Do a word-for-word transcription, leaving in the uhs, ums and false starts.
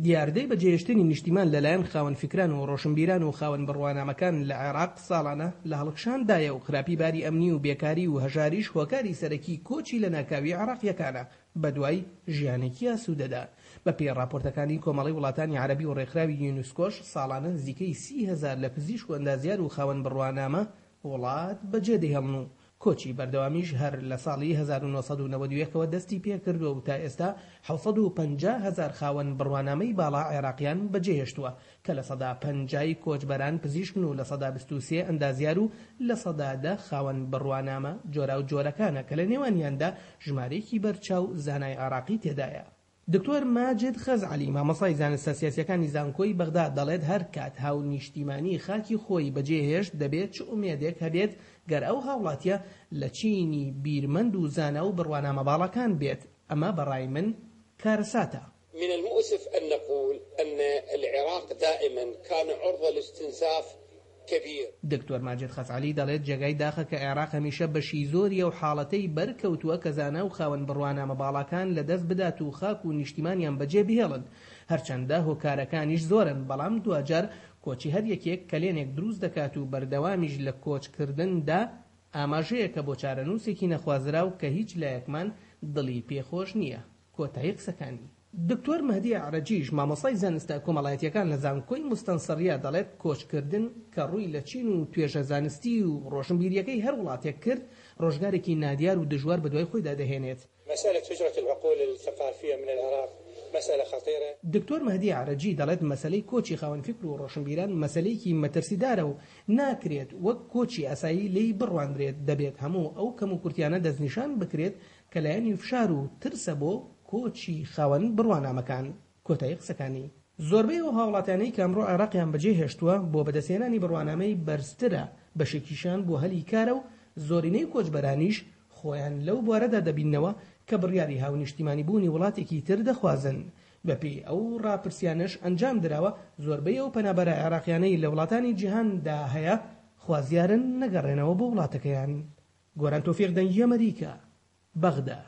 دیاردەی بەجێهێشتنی نیشتیمان لەلایەن خاوەن فیکران و ڕۆشنبیران و خاوەن بڕوانامەکان لە عێراق ساڵانە لە هەڵکشاندایە و خراپی باری ئەمنی و بێکاری و هەژاریش هۆکاری سەرەکی کۆچی لەناکاوی عێراقییەکانە بەدوای ژیانێکی ئاسوودەدا. بەپێی ڕاپۆرتەکانی کۆمەڵەی وڵاتانی عەرەبی و ڕێکخراوی یونسکۆش ساڵانە نزیکەی سی هەزار لە پزیشک و ئەندازیار و خاوەن بڕوانامە وڵات بەجێدەهێڵن و کۆچی بەردەوامیش هەر لە ساڵی هەزار و نۆ سەد و نەوەد و یەک ەوە دەستی پێکردووە و تا ئێستا حەوت سەد و پەنجا هەزار خاوەن بڕوانامەی باڵا عێراقیان بەجێهێشتووە کە لە سەدا پەنجای کۆچبەران پزیشکن و لە سەدا بیست و سێ ئەندازیار و لە سەدا دە خاوەن بڕوانامە جۆراوجۆرەکانە کە لە نێوانیاندا ژمارەیەکی بەرچاو زانای عێراقی تێدایە. دکتۆر ماجد خەزعەلی، مامۆستای زانستە سیاسییەکانی زانکۆی بەغدا دەڵێت هەرکات هاونیشتیمانی خاکی خۆی بەجێهێشت دەبێت چ ئومێدێک هەبێت گەر ئەو هاوڵاتیە لە چینی بیرمەند و زانا و بڕوانامە باڵاکان بێت ئەمە بەڕای من کارەساتە. من المؤسف أن نقول أن العراق دائما كان عرضة لاستنزاف کبیر. دکتۆر ماجد خەزعەلی دەڵێت جێگای داخە کە عێراق هەمیشە بەشی زۆری ئەو حاڵەتەی بەرکەوتووە کە زانا و خاوەن بڕوانامە باڵاکان لەدەست بدات و خاک و نیشتیمانیان بەجێ بهێڵن هەرچەندە هۆکارەکانیش زۆرن بەڵام دواجار کۆچی هەر یەکێک کەلێنێک دروست دەکات و بەردەوامیش لە کۆچکردندا ئاماژەیەکە بۆ چارەنووسێکی نەخوازراو کە هیچ لایەکمان دڵی پێخۆش نییە. کۆتایی قسەکانی. دکتۆر مەهدی ئەعرەجیش مامۆستای زانستە کۆمەڵایەتییەکان لە زانکۆی موستەنسەریە دەڵێت کۆچکردن کە ڕووی لە چین و توێژە زانستی و ڕۆشنبیرییەکەی هەر وڵاتێک کرد ڕۆژگارێکی نادیار و دژوار بەدوای خۆیدا دەهێنێت. مسألة هجرة العقول الثقافية من العراق مسألة خطيرة. دکتۆر مەهدی ئەعرەجی دەڵێت مەسەلەی کۆچی خاوەن فیکر و ڕۆشنبیران مەسەلەیەکی مەترسیدارە و ناکرێت وەک کۆچی ئاسایی لێی بڕوانرێت دەبێت هەموو ئەو کەموکورتیانە دەستنیشان بکرێت کە لایەنی فشار و ترسە بۆ کۆچی خاوەن بڕوانامەکان. کۆتایی قسەکانی. زۆربەی ئەو هاوڵاتیانەی کە ئەمڕۆ عێراقیان بەجێهێشتووە بۆ بەدەستهێنانی بڕوانامەی بەرزترە، بەشێکیشیان بۆ هەلی کارە و زۆرینەی کۆچبەرانیش خۆیان لەو بوارەدا دەبیننەوە کە بڕیاری هاونیشتیمانیبوونی وڵاتێکی تر دەخوازن. بەپێی ئەو ڕاپرسیانەش ئەنجام دراوە زۆربەی ئەو پەنابەرە عێراقیانەی لە وڵاتانی جیهاندا هەیە خوازیارن نەگەڕێنەوە بۆ وڵاتەکەیان. گۆران تۆفیق، دەنگی ئەمریکا، بەغدا.